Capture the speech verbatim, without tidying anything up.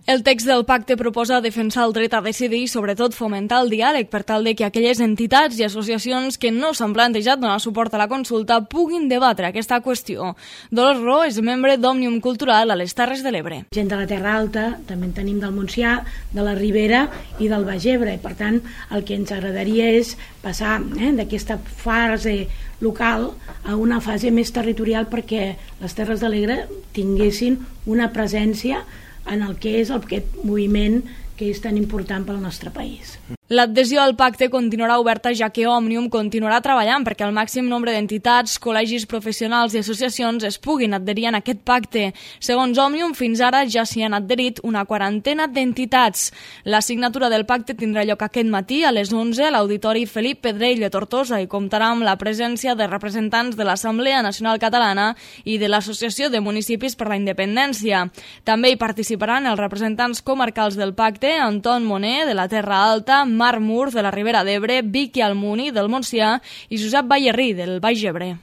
El text del pacte proposa defensar el dret a decidir i sobretot fomentar el diàleg per tal de que aquelles entitats i associacions que no s'han plantejat donar suport a la consulta puguin debatre aquesta qüestió. Dolors Ro és membre d'Òmnium Cultural a les Terres de l'Ebre. Gent de la Terra Alta, també en tenim del Montsià, de la Ribera i del Baix Ebre. Per tant, el que ens agradaria és passar eh, d'aquesta fase local a una fase més territorial perquè les Terres de l'Ebre tinguessin una presència en el que és aquest moviment que és tan important pel nostre país. L'adhesió al pacte continuarà oberta ja que Òmnium continuarà treballant perquè el màxim nombre d'entitats, col·legis professionals i associacions es puguin adherir en aquest pacte. Segons Òmnium, fins ara ja s'hi han adherit una quarantena d'entitats. La signatura del pacte tindrà lloc aquest matí a les onze a l'Auditori Felip Pedrell de Tortosa i comptarà amb la presència de representants de l'Assemblea Nacional Catalana i de l'Associació de Municipis per la Independència. També hi participaran els representants comarcals del pacte, Anton Moner, de la Terra Alta, Marc Mur, de la Ribera d'Ebre, Vicky Almuni, del Montsià, i Josep Ballerrí, del Baix Ebre.